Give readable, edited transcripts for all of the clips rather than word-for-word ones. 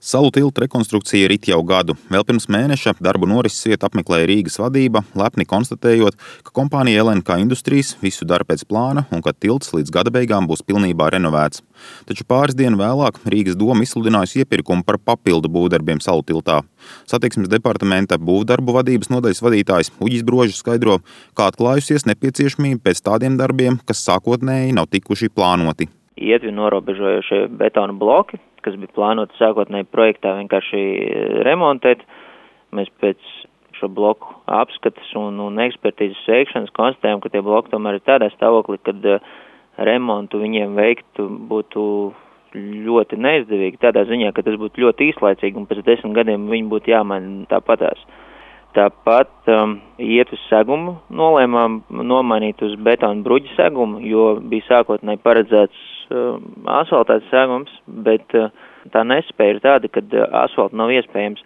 Salu tilta rekonstrukcija rit jau gadu. Vēl pirms mēneša darbu norises vietu apmeklēja Rīgas vadība, lepni konstatējot, ka kompānija LNK Industries visu dara pēc plāna un ka tilts līdz gada beigām būs pilnībā renovēts. Taču pāris dienu vēlāk Rīgas doma izsludinājusi iepirkumu par papildu būvdarbiem Salu tiltā. Satiksmes departamenta būvdarbu vadības nodaļas vadītājs Uģis Brožs skaidro, kā atklājusies nepieciešamība pēc tādiem darbiem, kas sākotnēji nav tikuši plānoti. Ietvi norobežojošie betona bloki, kas bija plānoti sākotnēji projektā vienkārši remontēt. Mēs pēc šo bloku apskates un ekspertīzes veikšanas konstatējam, ka tie bloki tomēr ir tādā stāvoklī, kad remontu viņiem veiktu būtu ļoti neizdevīgi. Tādā ziņā, ka tas būtu ļoti īslaicīgi un pēc 10 gadiem viņi būtu jāmaina tāpatās. Tāpat ietves segumu nolēmām nomainīt uz betona bruģa segumu, jo bija sākotnēji paredzēts asfaltēts segums, bet tā nespēja ir tāda, ka asfaltu nav iespējams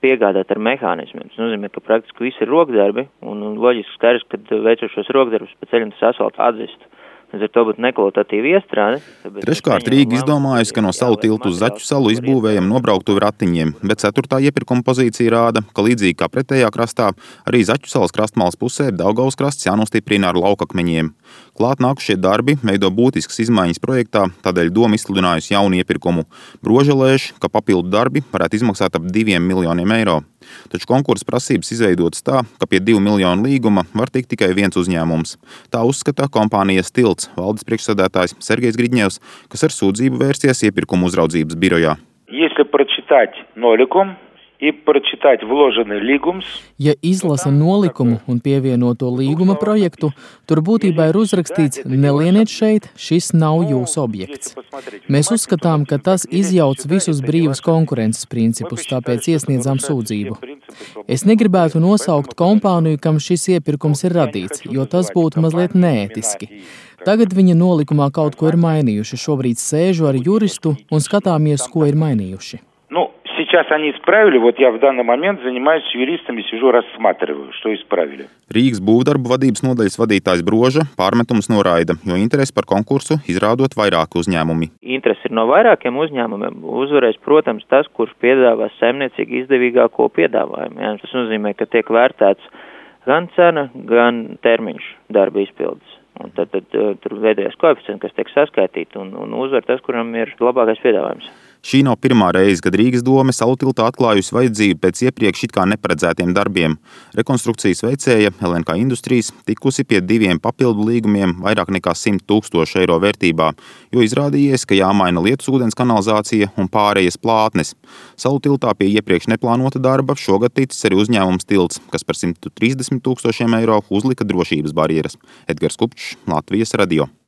piegādāt ar mehānismiem. Tas nozīmē, ka praktiski visi ir rokdarbi un loģiski skaidrs, ka veicot šos rokdarbus pa ceļam tas asfaltu atzistu. Līdz ar to būtu nekvalitatīva iestrāde. Treškārt Rīga izdomājusi, ka no Salu tiltu uz Zaķu salu izbūvējam nobrauktuvi ratiņiem, bet 4. iepirkuma pozīcija rāda, ka līdzīgi kā pretējā krastā, arī Zaķu salas krastmalas pusē Daugavas krasts jānostiprina ar laukakmeņiem. Klāt nākušie darbi veido būtiskas izmaiņas projektā, tādēļ doma izsludinājusi jaunu iepirkumu. Broža lēš, ka papildu darbi varētu izmaksāt ap 2 miljoniem eiro. Taču konkursa prasības izveidotas tā, ka pie 2 miljonu līguma var tikt tikai viens uzņēmums. Tā uzskata kompānijas Tilts valdes priekšsēdētājs Sergejs Gridņevs, kas ar sūdzību vērsties iepirkuma uzraudzības birojā. Ja izlasa nolikumu un pievienoto līguma projektu, tur būtībā ir uzrakstīts nelieniet šeit, šis nav jūsu objekts. Mēs uzskatām, ka tas izjauc visus brīvas konkurences principus, tāpēc iesniedzām sūdzību. Es negribētu nosaukt kompāniju, kam šis iepirkums ir radīts, jo tas būtu mazliet neētiski. Tagad viņa nolikumā kaut ko ir mainījuši. Šobrīd sēžu ar juristu un skatāmies, ko ir mainījuši. Сейчас они исправили, вот я в данный момент занимаюсь юристами, сижу, рассматриваю, что исправили. Rīgas būvdarbu vadības nodaļas vadītājs Broža pārmetums noraida, jo interesi par konkursu izrādot vairāki uzņēmumi. Interesi ir no vairākiem uzņēmumiem. Uzvarēs, protams, tas, kurš piedāvās saimniecīgi izdevīgāko piedāvājumu. Jā, tas nozīmē, ka tiek vērtēts gan cena, gan termiņš darba izpildes. Un tad tur veidojās koeficienti, kas tiek saskaitīti un uzvar tas, kuram ir labākais piedāvājums. Šī nav pirmā reize, kad Rīgas dome Salu tiltā atklājusi vajadzību pēc iepriekš it kā neparedzētiem darbiem. Rekonstrukcijas veicēja LNK Industries tikusi pie 2 papildu līgumiem vairāk nekā 100 000 eiro vērtībā, jo izrādījies, ka jāmaina lietus ūdens kanalizācija un pārējas plātnes. Salu tiltā pie iepriekš neplānota darba šogad ticis arī uzņēmums Tilts, kas par 130 000 eiro uzlika drošības barjeras. Edgars Kupčs, Latvijas radio.